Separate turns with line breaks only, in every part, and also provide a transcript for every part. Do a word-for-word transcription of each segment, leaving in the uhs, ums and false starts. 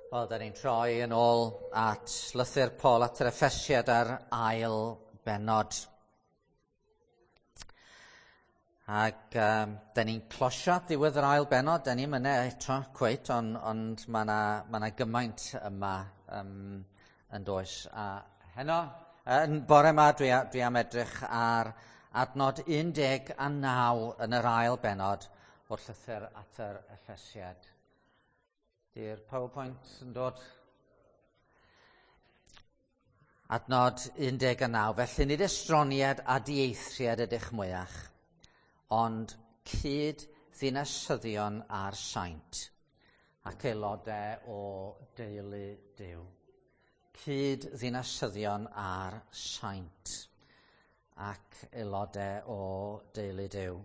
Wel, da ni'n troi yn ôl at lythyr Paul at yr Effesiad ar ail bennod. Ac um, da ni'n closio diwedd yr ail bennod, da ni'n mynd eto cweit, ond ond mae yna ma 'na gymaint yma um, yn does. A heno, yn bore yma, dwi, dwi am edrych ar adnod un deg a naw yn yr ail bennod o'r llythyr at yr Effesiad. Di'r PowerPoint yn dod? Adnod un deg a naw. Felly nid estroniad a dieithriad ydych mwyach, ond cyd ddinasyddion a'r saint ac aelodau o deulu Duw. Cyd ddinasyddion a'r saint ac aelodau o deulu Duw.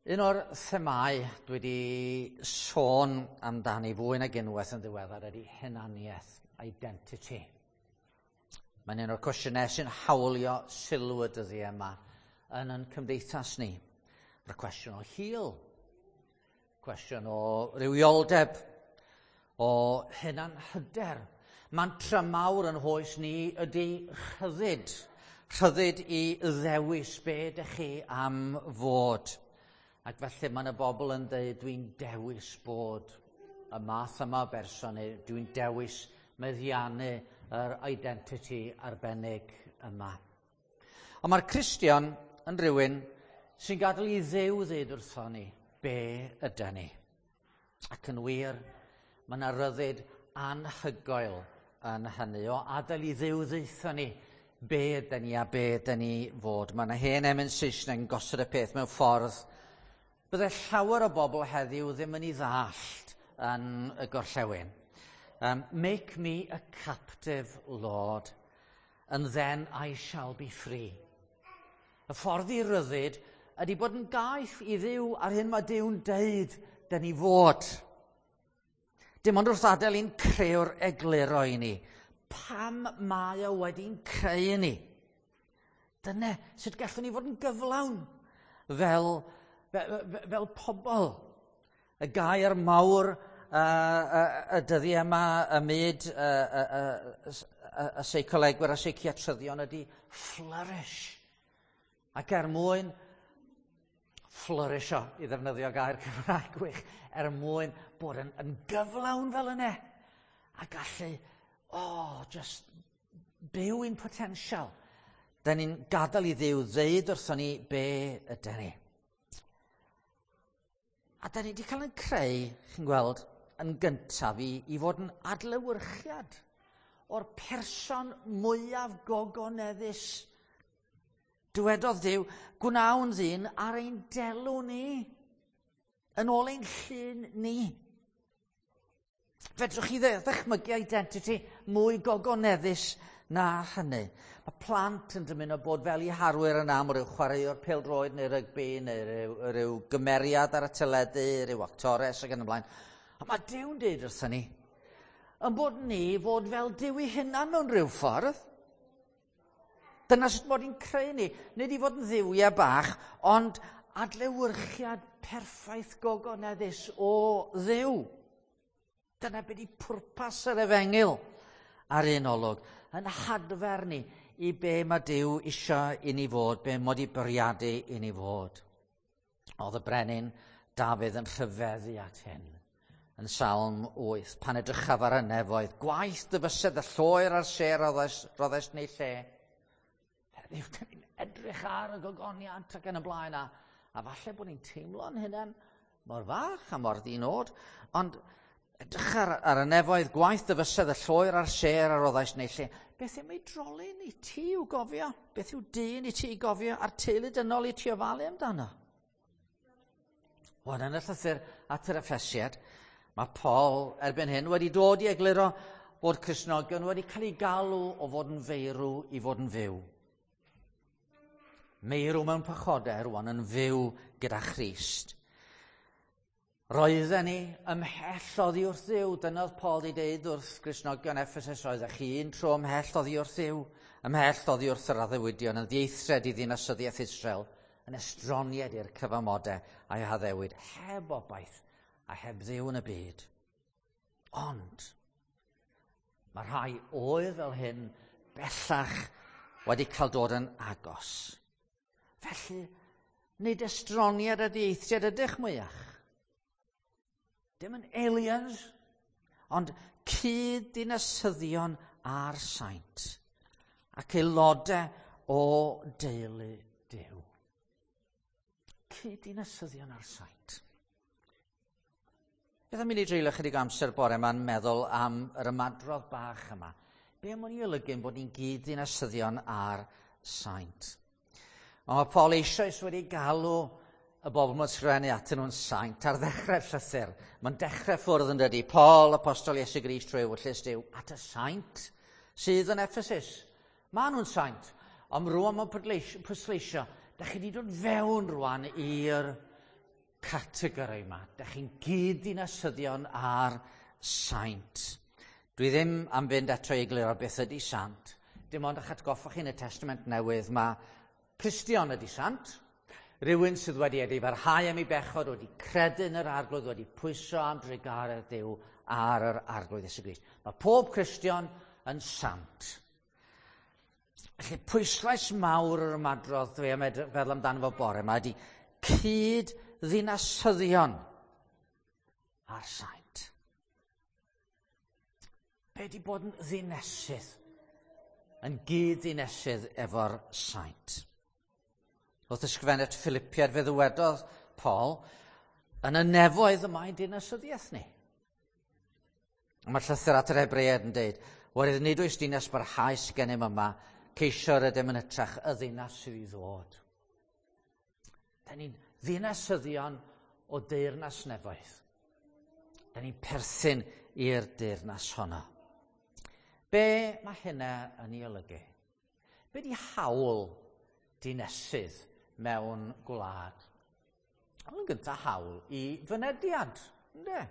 Un o'r themâu dwi wedi sôn amdani fwy nag unwaith yn ddiweddar ydy hunaniaeth, identity. Mae'n un o'r cwestiynau sy'n hawlio sylw y dyddiau yma yn ein cymdeithas ni. Mae'r cwestiwn o hil, cwestiwn o rywioldeb, o hunanhyder. Mantra mawr yn hoes ni ydy rhyddid. Rhyddid i ddewis be ydych chi am fod. Ac felly mae yna bobl yn dweud, dwi'n dewis bod y math yma o berson, neu dwi'n dewis meddiannu yr identity arbennig yma. Ond mae'r Cristion yn rhywun sy'n gadael i Dduw ddeud wrtho ni be ydy ni. Ac yn wir, mae yna ryddid anhygoel yn hynny o adael i Dduw ddeutho ni be ydy ni a be ydy ni fod. Mae yna hen emyn Saesneg yn gosod y peth mewn ffordd bydde llawer o bobl heddiw ddim yn ei ddallt yn y gorllewin. Um, make me a captive, Lord, and then I shall be free. Y ffordd i ryddid ydy bod yn gaeth i Dduw ar hyn mae Duw'n deud dyn ni fod. Dim ond wrth adael i'n creu'r egluro i ni. Pam mae o wedi'n creu ni? Dyna sut gallwn ni fod yn gyflawn fel fel pobl. Y gair mawr uh, y, y dyddiau yma ym myd y, y, y, y, y seicolegwyr a seiciatryddion ydy flourish. Ac er mwyn flourisho, i ddefnyddio gair Cymraeg gwych, er mwyn bod yn, yn gyflawn fel yna, a gallu, oh, just byw i'n potensial. Da ni'n gadael i Dduw ddeud wrthon ni be ydyn ni. A da ni wedi cael ein creu, chi'n gweld, yn gyntaf i, i fod yn adlewyrchiad o'r person mwyaf gogoneddus. Dywedodd Duw, gwnawn ddyn ar ein delw ni, yn ôl ein llun ni. Fedrwch chi ddychmygu identity mwy gogoneddus na hynny. Mae plant yn dymuno bod fel eu harwyr yn am, rhyw chwaraewr pêl-droed neu rygbi, neu rhyw, rhyw gymeriad ar y teledu, rhyw actores ac yn y blaen. A mae Duw'n deud wrthyn ni, yn bod ni fod fel Duw ei hunan mewn rhyw ffordd. Dyna sut mod i'n creu ni. Nid i fod yn dduwiau bach, ond adlewyrchiad perffaith gogoneddus o Dduw. Dyna beth ydi pwrpas yr efengyl ar un olwg, yn hadfer ni i be mae Duw isio i ni fod, be mod i bwriadu i ni fod. Oedd y brenin Dafydd yn rhyfeddu at hyn, yn Salm wyth, pan edrychaf ar y nefoedd, gwaith dy fysedd y lloer a'r sêr roddes neu lle. Heddiw, dan ni'n edrych ar y gogoniant ac yn y blaen, a, a falle bod ni'n teimlo'n hunain mor fach a mor ddinod, ond edrych ar, ar y nefoedd, gwaith dy fysedd y lloer a'r sêr a roddais neu lle. Beth yw oedolyn i ti i'w gofio? Beth yw dyn i ti i gofio? A'r teulu dynol i ti ofalu amdano? Wel, yn y llythyr at yr Effesiad, mae Paul erbyn hyn wedi dod i egluro bod Cristnogion wedi cael eu galw o fod yn feirw i fod yn fyw. Meirw mewn pechodau rwan yn fyw gyda Christ. Roedden ni ymhell oddi wrth Dduw. Dyna oedd Paul wedi deud wrth Gristnogion Ephesus, roeddech chi un tro ymhell oddi wrth Dduw, ymhell oddi wrth yr addewidion, yn ddieithriad i ddinasyddiaeth Israel, yn estroniad i'r cyfamodau a'i haddewid, heb obaith a heb Dduw yn y byd. Ond mae rhai oedd fel hyn bellach wedi cael dod yn agos. Felly, nid estroniad a dieithriad ydych mwyach. Dim yn aliens, ond cyd-dinasyddion a'r saint ac aelodau o deulu Duw. Cyd-dinasyddion a'r saint. Beth am i ni dreulio chydig amser bore yma'n meddwl am yr ymadrodd bach yma? Be am o'n i olygu bod ni'n gyd-dinasyddion a'r saint? Ond mae Paul eisoes wedi galw y bobl mae'n sgrifennu atyn nhw'n saint ar ddechrau'r llythyr. Mae'n dechrau ffwrdd yn dydy. Paul, apostol Iesu Grist trwy ewyllys Duw, at y saint sydd yn Ephesus. Maen nhw'n saint, ond rwan mae'n pwysleisio, da chi wedi dod fewn rwan i'r categori yma. Da chi'n gyd-dinasyddion a'r saint. Dwi ddim am fynd eto i egluro beth ydy sant. Dim ond eich atgoffa chi yn y Testament Newydd, mae Cristion ydy sant. Rhywun sydd wedi edifarhau am ei bechod, wedi credu yn yr Arglwydd, wedi pwyso am drugaredd Duw ar yr Arglwydd Iesu Grist. Mae pob Cristion yn sant. Felly pwyslais mawr yr ymadrodd dwi am feddwl amdano fo bore yma ydy cyd-ddinasyddion a'r saint. Be di bod yn ddinesydd? Yn gyd-ddinesydd efo'r saint. Wrth ysgrifennu at Philippiaid fe ddywedodd Paul, yn y nefoedd y mae dinasyddiaeth ni. Mae'r llythyr at yr Hebreaid yn dweud, oherwydd nid oes dinas barhaus gennym yma, ceisio ydym yn hytrach y ddinas sydd i ddod. Da ni'n ddinasyddion o deyrnas nefoedd. Da ni'n perthyn i'r deyrnas honno. Be mae hynna yn ei olygu? Be di hawl dinesydd mewn gwlad? Ond yn gyntaf hawl i fynediad, ynde?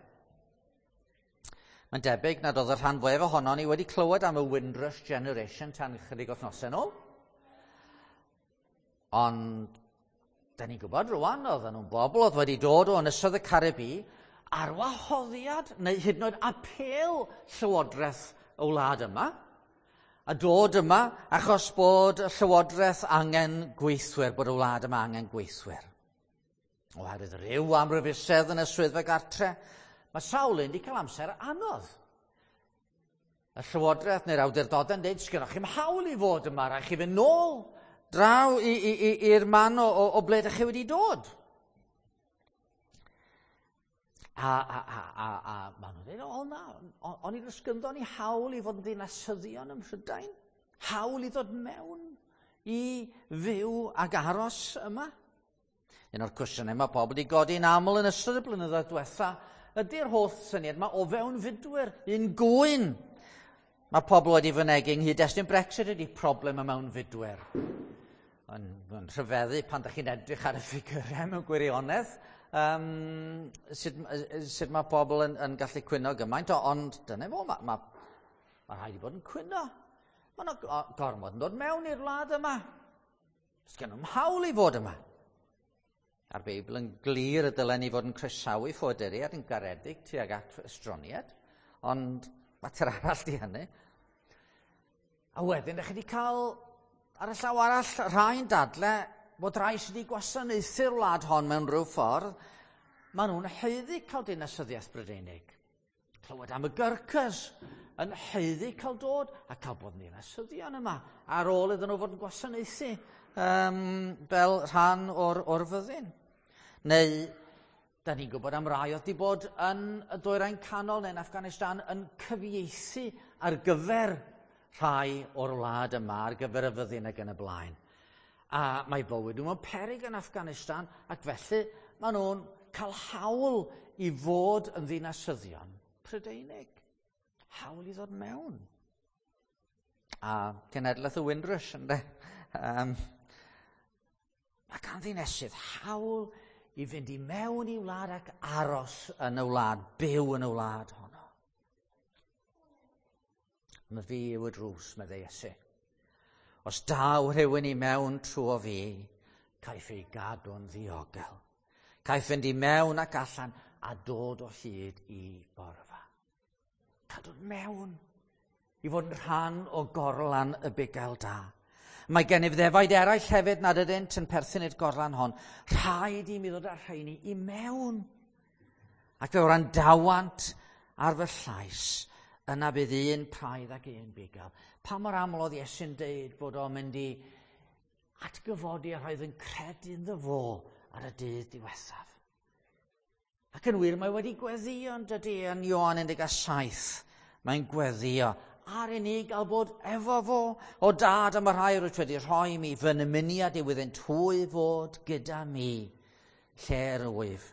Mae'n debyg nad oedd y rhan fwyaf ohono ni wedi clywed am y Windrush Generation tan ychydig wythnosau nôl. Ond, da ni'n gwybod rwan, oedden nhw'n bobl oedd wedi dod o ynysoedd y Caribi ar wahoddiad neu hyd yn oed apêl llywodraeth y wlad yma, a dod yma achos bod y llywodraeth angen gweithwyr, bod y wlad yma angen gweithwyr. Oherwydd rhyw amryfusedd yn y swyddfa gartre, mae sawl un wedi cael amser anodd. Y llywodraeth neu'r awdurdodau'n dweud, sgynnoch chi'm hawl i fod yma, rhaid chi fynd nôl draw i'r man o, o, o ble ydych chi wedi dod. A, a, a, a, a maen nhw'n dweud, o na, o'n i'n ysgynddo ni hawl i fod yn ddinasyddion ym Mhrydain, hawl i ddod mewn i fyw ac aros yma. Un o'r cwestiynau mae pobl wedi godi'n aml yn ystod y blynyddoedd diwetha ydy'r holl syniad yma o fewnfudwyr, un gŵyn. Mae pobl wedi fynegi yng nghyd-destun Brexit ydy problem y mewnfudwyr. Yn, yn rhyfeddu pan ydych chi'n edrych ar y ffigurau mewn gwirionedd, um, sut, sut mae pobl yn, yn gallu cwyno gymaint, ond dyna fo, mae, mae, mae rhaid i bod yn cwyno. Mae yna gormod yn dod mewn i'r wlad yma. Sgen nhw'm hawl i fod yma. A'r Beibl yn glir y dylen ni fod yn croesawu ffoaduriaid yn garedig tuag at estroniaid, ond mater arall di hynny. A wedyn, ydych chi wedi cael ar y llaw arall rhai'n dadle bod rhai sydd wedi gwasanaethu'r wlad hon mewn rhyw ffordd, maen nhw'n haeddu cael dinasyddiaeth Brydeinig. Clywed am y Gurkhas yn haeddu cael dod a cael bod yn dinasyddion yma ar ôl iddyn nhw fod yn gwasanaethu um, fel rhan o'r, o'r fyddin. Neu, da ni'n gwybod am rai oedd wedi bod yn y Dwyrain Canol neu'n Afghanistan yn cyfieithu ar gyfer rhai o'r wlad yma, ar gyfer y fyddin ac yn y blaen. A mae bywyd nhw mewn peryg yn Afghanistan, ac felly maen nhw'n cael hawl i fod yn ddinasyddion Prydeinig. Hawl i ddod mewn. A cenedlaeth y Windrush, ynde? Um, mae gan ddinesydd hawl i fynd i mewn i wlad ac aros yn y wlad, byw yn y wlad honno. Mae fi yw y drws, meddai Iesu. Os daw rhywun i mewn trwy fi, caiff ei gadw'n ddiogel. Caiff fynd i mewn ac allan a dod o hyd i borfa. Cael dod mewn i fod yn rhan o gorlan y bugail da. Mae gennyf ddefaid eraill hefyd nad ydynt yn perthyn i'r gorlan hon. Rhaid i mi ddod â'r rheini i mewn. Ac fe wrandawant ar fy llais, yna bydd un praidd ac un bugail. Pa mor aml oedd Iesu'n deud bod o'n mynd i atgyfodi a rhaid yn credu ynddo fo ar y dydd diwethaf. Ac yn wir, mae wedi gweddio yn dydy yn Ioan un deg saith. Mae'n gweddio ar i ni gael bod efo fo. O dad, am y rhai rwyt wedi rhoi mi, fy nymuniad yw iddynt hwy fod gyda mi, lle yr wyf,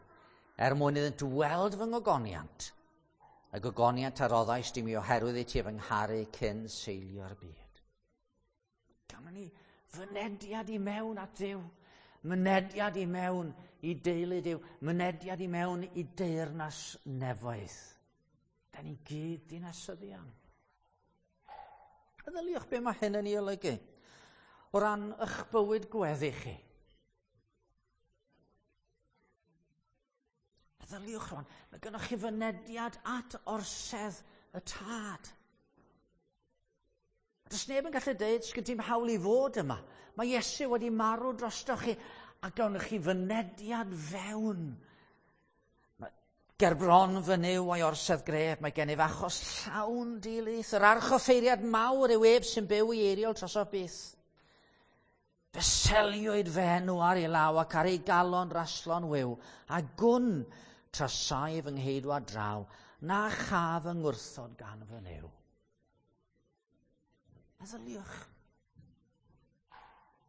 er mwyn iddynt weld fy ngogoniant, y gogoniant a roddaist i mi oherwydd i ti fy ngharu cyn seilio'r byd. Gawn ni fynediad i mewn at Dduw, mynediad i mewn i deulu Duw, mynediad i mewn i deyrnas nefoedd. Da ni gyd dinasyddion. Meddyliwch be mae hyn yn ei olygu o ran eich bywyd gweddi chi. Meddyliwch rwan, mae gennych chi fynediad at orsedd y tad. A does neb yn gallu deud, sgyn ti'm hawl i fod yma. Mae Iesu wedi marw drostoch chi a gawn chi fynediad fewn. Ger bron fy Nuw a'i orsedd gref, mae gennyf achos llawn dilys. Yr archoffeiriad mawr yw ef sy'n byw i eiriol drosof byth. Fe seliwyd fy enw ar ei law ac ar ei galon raslon wiw, a gwn trasai fy ngheidwad draw, na chaf fy ngwrthod gan fy Nuw. Meddyliwch.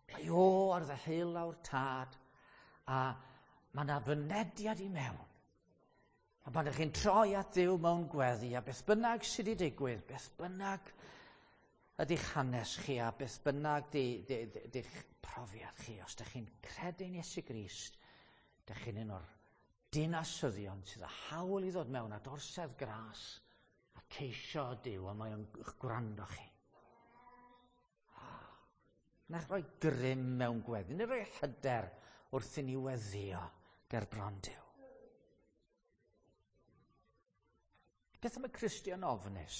Mae o ar ddeheulaw'r tad, a mae yna fynediad i mewn. A pan ydych chi'n troi at Dduw mewn gweddi, a beth bynnag sydd wedi digwydd, beth bynnag ydy'ch hanes chi, a beth bynnag di'ch profiad chi, os ydych chi'n credu'n Iesu Grist, ydych chi'n un o'r dinasyddion sydd â hawl i ddod mewn at orsedd gras a ceisio Duw, a mae o'n gwrando chi. Na'ch rhoi grym mewn gweddi, neu rhoi hyder wrth i ni weddio ger bron Duw. Beth am y Cristion ofnus?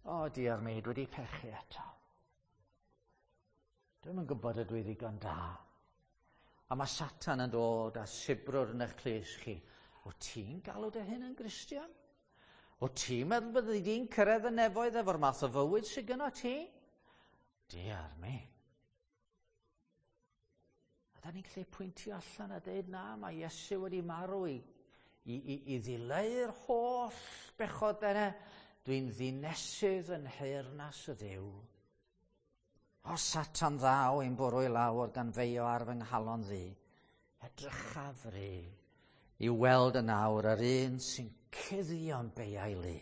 O, diar mi, dwi wedi pechu eto. Dwi'm yn gwybod ydw i ddigon da. A mae Satan yn dod a sibrwd yn eich clust chi. O ti'n galw dy hun yn Gristion? O ti'n meddwl byddi di'n cyrraedd y nefoedd efo'r math o fywyd sydd gynno ti? Diar mi. A da ni'n gallu pwyntio allan a dweud na, mae Iesu wedi marw i I, i, i ddileu'r holl bechod yna, dwi'n ddinesydd yn nheyrnas y Dduw. O Satan ddaw i'n bwrw i lawr gan feio ar fy nghalon ddu, edrychaf fry i weld yn awr yr un sy'n cuddio'n beiau lu.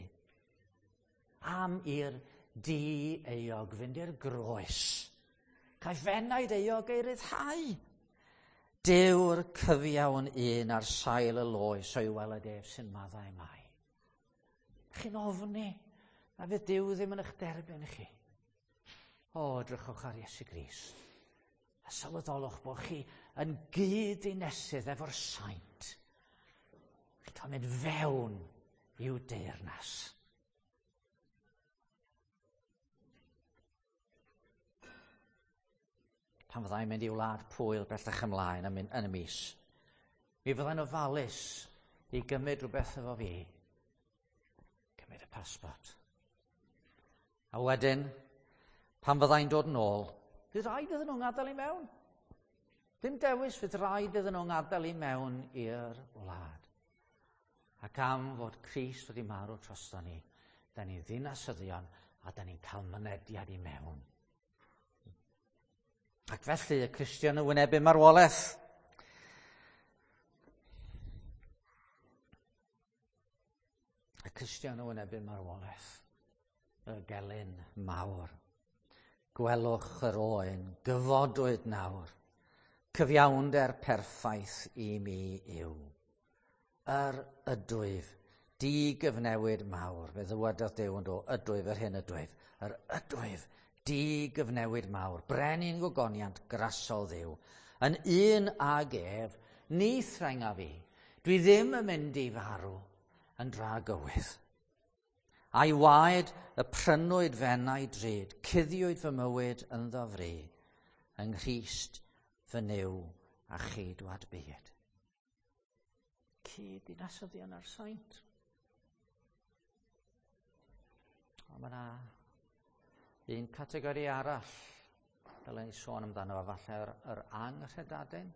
Am i'r di-euog fynd i'r groes, caiff enaid euog ei ryddhau. Dyw'r cyfiawn un ar sail y loes o'i weled ef sy'n maddau mai. Chi'n ofni na fydd Duw ddim yn eich derbyn chi. O, edrychwch ar Iesu Grist. A sylweddolwch bod chi yn gyd-ddinesydd efo'r saint. Chi'n cael mynd fewn i'w deyrnas. Pan fyddai'n mynd i wlad Pwyl bellach ymlaen yn y mis, mi fyddai'n ofalus i gymryd rhywbeth efo fi. Cymryd y pasbort. A wedyn, pan fyddai'n dod yn ôl, fydd rhaid iddyn nhw'n gadael i mewn. Dim dewis, fydd rhaid iddyn nhw'n gadael i mewn i'r wlad. Ac am fod Crist wedi marw drosto ni, da ni ddinasyddion a da ni'n cael mynediad i mewn. Ac felly y Cristion yn wynebu marwolaeth. Y Cristion yn wynebu marwolaeth. Y gelyn mawr. Gwelwch yr oen, gyfodwyd nawr. Cyfiawnder perffaith i mi yw. Yr ydwyf, digyfnewid mawr. Fe ddywedodd Duw yn do, ydwyf yr hyn ydwyf. Yr ydwyf, digyfnewid mawr, brenin gogoniant grasol Dduw, yn un ag ef, ni threnga fi, Dwi ddim yn mynd i farw yn dragywydd. A'i waed y prynwyd f'enau drud, cuddiwyd fy mywyd ynddo fri, yng Nghrist fy Nuw a cheidwad byd. Cyd dinasyddion a'r saint. Ond mae yna un categori arall dylen ni sôn amdano fo, falle yr, yr anghredadun.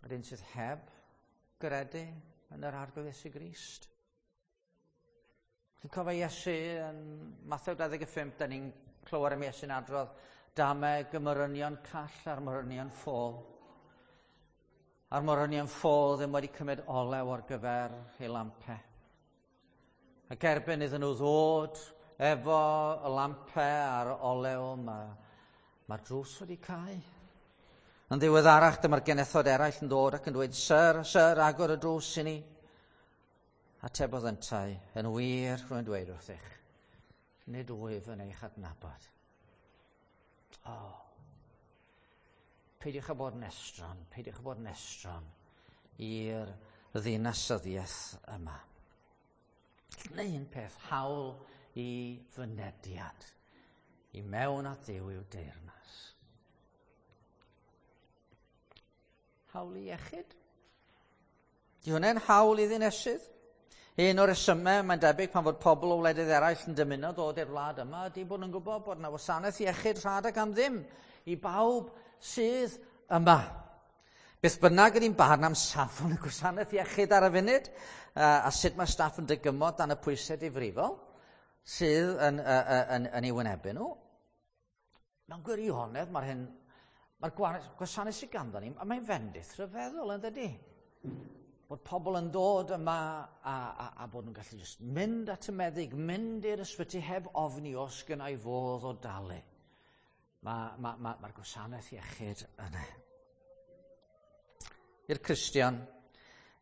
Yr un sydd heb gredu yn yr Arglwydd Iesu Grist. Chi'n cofio Iesu yn Mathew dau ddeg pump, da ni'n clywed am Iesu'n adrodd dameg y morynion call a'r morynion ffôl. A'r morynion ffôl ddim wedi cymryd olew ar gyfer ei lampau. Ac erbyn iddyn nhw ddod efo y lampau a'r olew, mae'r ma drws wedi cau. Yn ddiweddarach, dyma'r genethod eraill yn dod ac yn dweud, "Syr, syr, agor y drws i ni." Atebodd yntau, "Yn wir, rwy'n dweud wrthych, nid wyf yn eich adnabod." O, oh, peidiwch â bod yn estron, peidiwch â bod yn estron i'r ddinasyddiaeth yma. Neu un peth, hawl i fynediad i mewn at Dduw i'w deyrnas. Hawl i iechyd? Di hwnna'n hawl i ddinesydd? Un o'r resymau, mae'n debyg, pan fod pobl o wledydd eraill yn dymuno dod i'r wlad yma, ydy bod nhw'n gwybod bod yna wasanaeth iechyd rhad ac am ddim i bawb sydd yma. Beth bynnag ydy'n barn am safon y gwasanaeth iechyd ar y funud, a sut mae staff yn dygymod dan y pwysau difrifol sydd yn, yn, yn, yn ei wynebu nhw, mewn gwirionedd mae'r hyn, mae'r gwasanaeth sydd ganddo ni, a mae'n fendith rhyfeddol, yn dydy? Bod pobl yn dod yma a, a, a bod nhw'n gallu just mynd at y meddyg, mynd i'r ysbyty heb ofni os gynna i fodd o dalu. Mae'r ma, ma, ma gwasanaeth iechyd yna. I'r Cristion,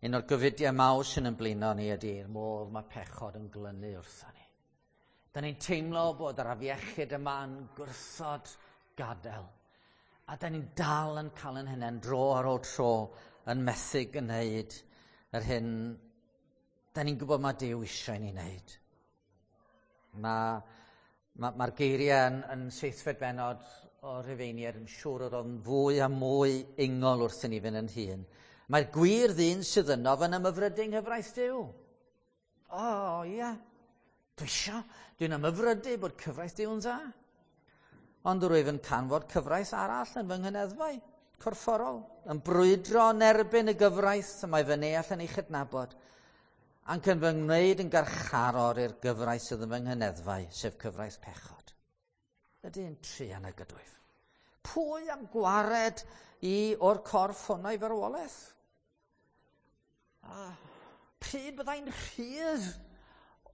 un o'r gofidiau mawr sy'n ymblino ni ydy'r modd mae pechod yn glynu wrtho ni. Da ni'n teimlo bod yr afiechyd yma yn gwrthod gadael. A da ni'n dal yn cael yn hynny'n dro ar ôl tro yn methu gwneud yr hyn da ni'n gwybod mae Duw eisiau ni wneud. Mae'r ma, ma geiriau yn, yn seithfed bennod o Rufeiniaid yn siŵr o ddod yn fwy a mwy ingol wrth i ni fynd yn hŷn. Mae'r gwir ddyn sydd yno yn ymhyfrydu yng nghyfraith Duw. O, oh, ie. Yeah. Dwi isio, dwi'n ymhyfrydu bod cyfraith Duw'n dda. Ond rwyf yn canfod cyfraith arall yn fy nghyneddfau corfforol, yn brwydro yn erbyn y gyfraith y mae fy neall yn ei chydnabod, ac yn fy ngwneud yn garcharor i'r gyfraith sydd yn fy nghyneddfau, sef cyfraith pechod. Ydy'n truan y gydwyf. Pwy am gwared i o'r corff hwnna i farwolaeth? A pryd byddai'n rhydd?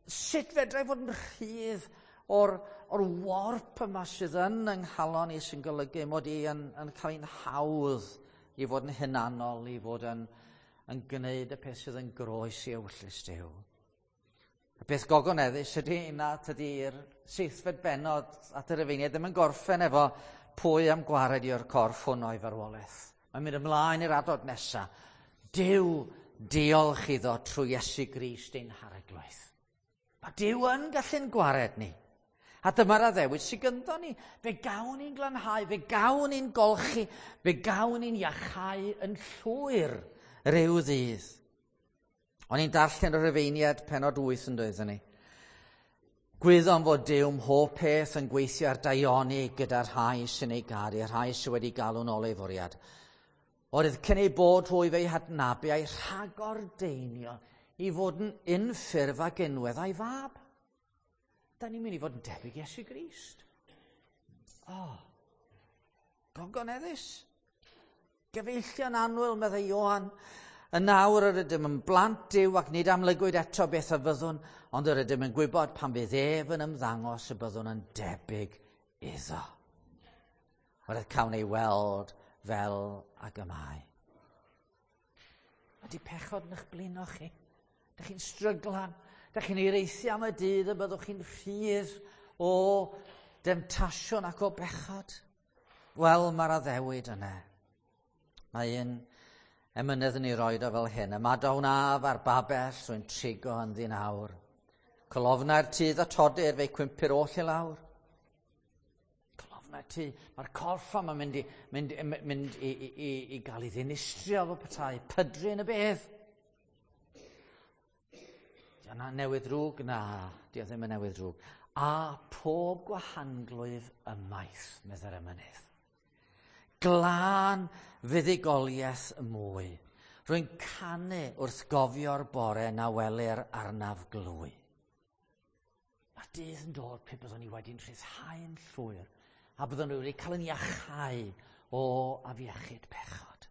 Sut fedrai fod yn rhydd o'r, o'r warp yma sydd yn yng nghalon i sy'n golygu mod i yn, yn cael ein hawdd i fod yn hunanol, i fod yn, yn gwneud y peth sydd yn groes i ewyllys Duw. Y peth gogoneddus ydy na tydi'r seithfed bennod at y Rufeiniaid ddim yn gorffen efo pwy am gwared i o'r corff hwn o'i farwolaeth. Mae'n mynd ymlaen i'r adnod nesaf. Duw, diolch iddo trwy Iesu Grist ein Harglwydd. Mae Duw yn gallu'n gwared ni. A dyma'r addewid sydd gynddo ni. Fe gawn ni'n glanhau, fe gawn ni'n golchi, fe gawn ni'n iachau yn llwyr ryw ddydd. O'n i'n darllen y Rufeiniaid pennod wyth yn dweud ni. Gwyddom fod Duw mhob peth yn gweithio ar daioni gyda'r rhai sy'n ei garu, rhai sydd wedi galw'n ôl ei fwriad. Oherwydd cyn ei bod hwy fe'i hadnabu a'i rhagordeinio i fod yn unffurf ag unwedd a'i fab. Da ni'n mynd i fod yn debyg Iesu Grist. O, oh, gogoneddus. Gyfeillion annwyl, meddai Ioan. Yn nawr yr ydym yn blant Duw ac nid amlygwyd eto beth a fyddwn, ond yr ydym yn gwybod pan fydd ef yn ymddangos y byddwn yn debyg iddo. Oherwydd cawn ei weld fel ag y mae. Ydy pechod yn eich blino chi? Dych chi'n stryglan? Dych chi'n hiraethu am y dydd y byddwch chi'n rhydd o demtasiwn ac o bechod? Wel, mae'r addewid yna. Mae un Emynydd yn ei roed o fel hyn. Ymadawn af ar babell rwy'n trigo ynddi nawr. Colofnau'r tŷ ddattodir, fe'i cwympir oll i lawr. Colofnau'r tŷ. Mae'r corff yma'n mynd i, mynd, mynd i, i, i, i gael ei ddinistrio fel petai. Pydru yn y bedd. Di hwnna newydd drwg? Na, di o ddim yn newydd drwg. A pob gwahanglwyf ymaith, meddai'r emynydd. Glân fuddugoliaeth mwy. Rwy'n canu wrth gofio'r bore na welir arnaf glwy. Mae'r dydd yn dod pe byddwn ni wedi'n rhyddhau'n llwyr a byddwn ni wedi cael yn iachau o afiechyd pechod.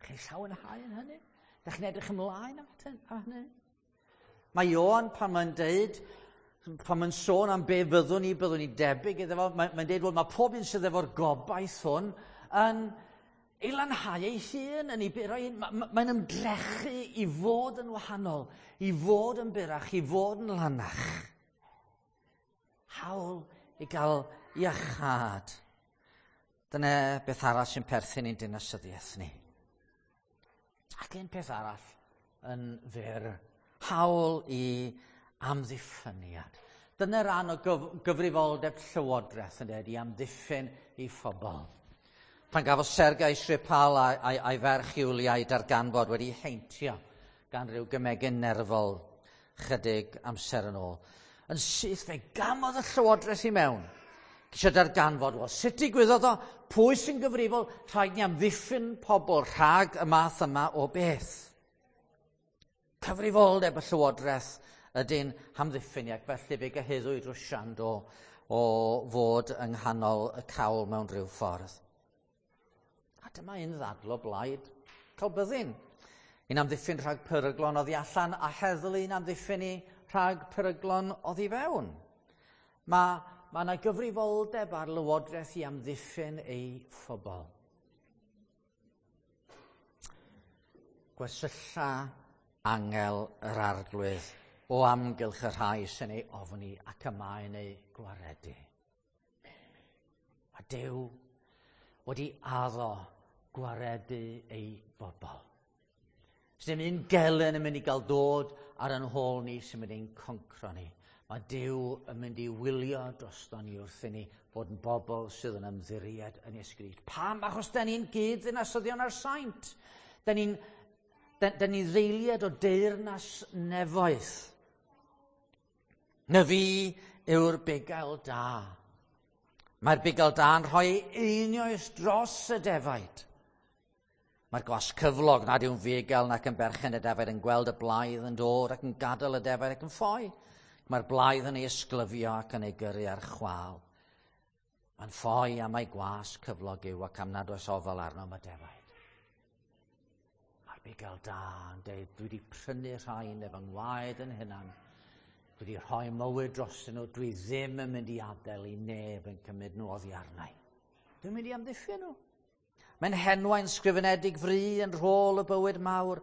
Chi'n llawenhau yn hynny? Dych chi'n edrych ymlaen am hynny? Mae Ioan pan mae'n deud, pan mae'n sôn am be fyddwn ni, byddwn ni debyg iddo fo, mae'n mae deud, wel, mae pob un sydd efo'r gobaith hwn yn ei lanhau ei hun, yn ei buro ei hun. Mae'n ymdrechu i fod yn wahanol, i fod yn burach, i fod yn lanach. Hawl i gael iachâd. Dyna beth arall sy'n perthyn i'n dinasyddiaeth ni. Ac un peth arall yn fyr, hawl i amddiffyniad. Dyna ran o gyf gyfrifoldeb llywodraeth yn dweud i amddiffyn i phobl. Pan gafodd Sergei Skripal a'i, a'i, a'i ferch Iwlia ei darganfod wedi heintio gan ryw gymegyn nerfol chydig amser yn ôl. Yn syth fe gamodd y llywodraeth i mewn. Ceisio darganfod, wel, sut digwyddodd o? Pwy sy'n gyfrifol? Rhaid ni amddiffyn pobl rhag y math yma o beth. Cyfrifoldeb y llywodraeth ydy'n hamddiffyn ac felly fe gyhuddwyd Rwsian o, o fod yng nghanol y cawl mewn rhyw ffordd. A dyma un ddadl o blaid cael byddin. Un amddiffyn rhag peryglon oddi allan a heddlu un amddiffyn i rhag peryglon oddi fewn. Mae mae yna gyfrifoldeb ar lywodraeth i amddiffyn ei phobl. Gwersylla angel yr arglwydd o amgylch y rhai sy'n ei ofni ac y mae'n ei gwaredu. A Duw wedi addo gwaredu ei bobl. Sdim un gelyn yn mynd i gael dod ar yn hôl ni sy'n mynd i'n concro ni. Mae Duw yn mynd i wylio drosto ni wrth i ni fod yn bobl sydd yn ymddiried yn Iesu Grist. Pam? Achos da ni'n gyd ddinasyddion ar saint. Da ni'n da, da ni ddeiliad o deyrnas nefoedd. Na fi yw'r bugail da. Mae'r bugail da yn rhoi einioes dros y defaid. Mae'r gwas cyflog nad yw'n fugail nac yn berchen y defaid yn gweld y blaidd yn dod ac yn gadael y defaid ac yn ffoi. Mae'r blaidd yn ei ysglyfio ac yn ei gyrru ar chwâl. Mae'n ffoi am ei gwas cyflog yw ac am nad oes ofal arno am y defaid. Mae'r bugail da yn dweud, dwi wedi prynu rhain efo ngwaed yn hunan. Dwi wedi rhoi mywyd drostyn nhw, dwi ddim yn mynd i adael i neb yn cymryd nhw oddi arnau. Dwi'n mynd i amddiffyn nhw. Mae'n henwau'n sgrifenedig fri yn rhôl y bywyd mawr.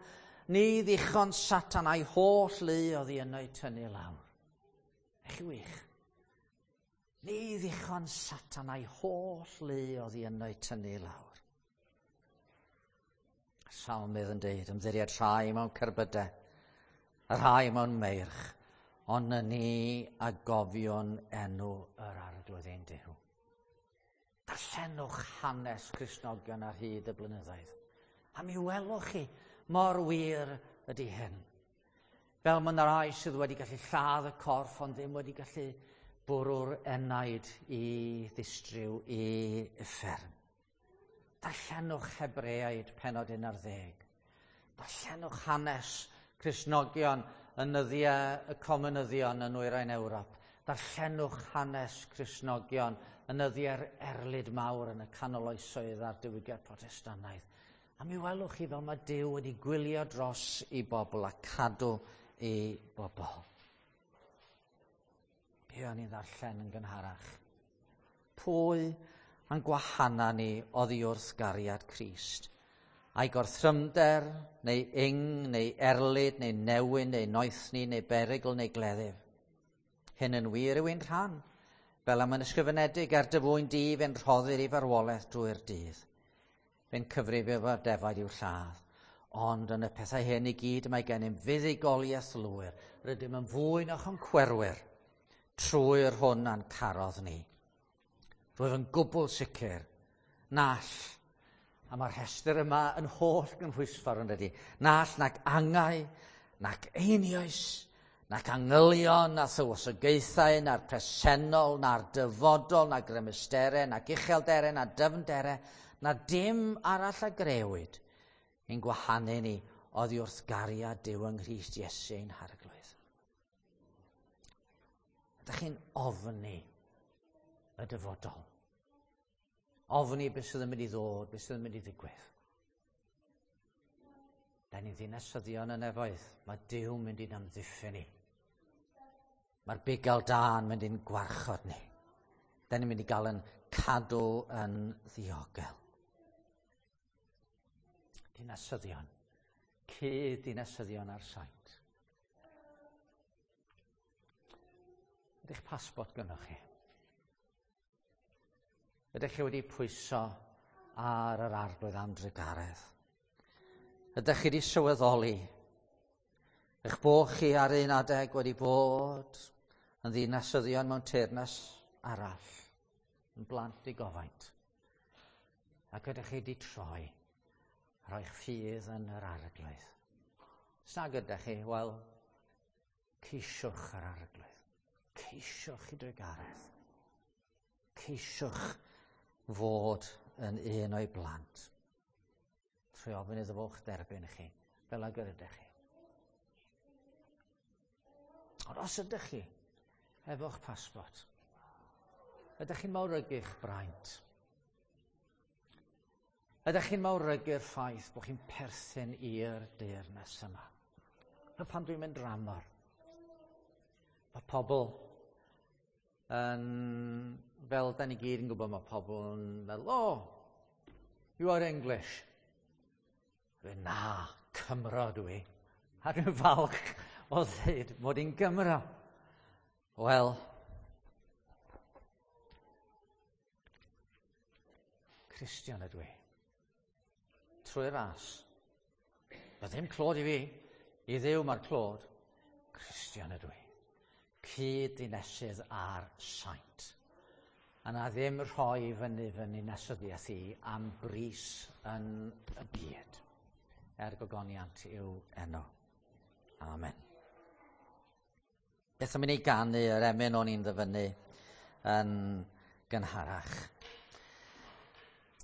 Ni ddichon Satan a'i holl lu oddi yno i tynnu lawr. Eich wych. Ni ddichon Satan a'i holl lu oddi yno i tynnu lawr. Salmydd yn deud, ymddiried rhai mewn cerbydau, a rhai mewn meirch, ond na ni a gofion enw yr arglwydd ein Duw. Darllenwch hanes Cristnogion ar hyd y blynyddoedd. A mi welwch chi mor wir ydy hyn. Fel mae yna rai sydd wedi gallu lladd y corff, ond ddim wedi gallu bwrw'r enaid i ddistryw i uffern. Darllenwch Hebreaid pennod un ar ddeg. Darllenwch hanes Cristnogion yn nyddiau y comunyddion yn nwyrain Ewrop. Darllenwch hanes Cristnogion yn nyddiau'r erlid mawr yn y canol oesoedd a'r diwygiad Protestannaidd. A mi welwch chi fel mae Duw wedi gwylio dros i bobl a cadw i bobl. Be o'n i'n ddarllen yn gynharach? Pwy a'n gwahana ni oddi wrth gariad Crist? A'i gorthrymder, neu ing, neu erlid, neu newyn, neu noethni, neu berygl, neu gleddyf. Hyn yn wir yw ein rhan, fel am yn ysgrifenedig ar dy fwyn di fe'n rhoddir i farwolaeth drwy'r dydd. Fe'n cyfrif efo'r defaid i'w lladd. Ond yn y pethau hyn i gyd mae gennym fuddugoliaeth lwyr. Rydym yn fwy na choncwerwyr trwy'r hwn a'n carodd ni. Rwyf yn gwbl sicr nall, a mae'r rhestr yma yn holl gynhwysfawr yn dydy, nall nac angau, nac einioes, nac angylion, na thywysogaethau, na'r presennol, na'r dyfodol, na grymusterau, nac uchelderau, na dyfnderau, na dim arall a grewyd ein gwahanu ni oddi wrth gariad Duw yng Nghrist Iesu ein Harglwydd. Ydych chi'n ofni y dyfodol? Ofni beth sydd yn mynd i ddod, beth sydd yn mynd i ddigwydd? Da ni'n ddinasyddion y nefoedd. Mae Duw mynd i'n amddiffyn ni. Mae'r bugail da yn mynd i'n gwarchod ni. Da ni'n mynd i gael yn cadw yn ddiogel. Dinasyddion. Cyd dinasyddion ar saint. Ydych pasbort gynnoch chi? Ydych chi wedi pwyso ar yr Arglwydd am drugaredd? Ydych chi wedi sylweddoli eich bod chi ar un adeg wedi bod yn ddinasyddion mewn teyrnas arall, yn blant digofaint, ac ydych chi wedi troi a rhoi'ch ffydd yn yr Arglwydd? Os nag ydych chi, wel, ceisiwch yr Arglwydd. Ceisiwch i drugaredd. Ceisiwch fod yn un o'i blant. Trwy ofyn iddo fo'ch derbyn chi, fel ag yr ydych chi. Ond os ydych chi efo'ch pasbort, ydych chi'n mawrygu'ch braint? Ydych chi'n mawrygu'r ffaith bod chi'n perthyn i'r deyrnas yma? A pan dwi'n mynd dramor, mae pobl yn, fel da ni gyd yn gwybod, mae pobl yn meddwl, "Oh, you are English." Dwi'n, "Na, Cymro dwi." A dwi'n falch o ddweud mod i'n Gymro. Wel, Cristion ydw i. Trwy ras. Mae ddim clod i fi. I Dduw mae'r clod. Cristion ydw i. Cyd-ddinesydd a'r saint. A na ddim rhoi fyny fy ninasyddiaeth i am bris yn y byd. Er gogoniant yw enw. Amen. Beth am i ni ganu yr emyn o'n i'n ddyfynnu yn gynharach?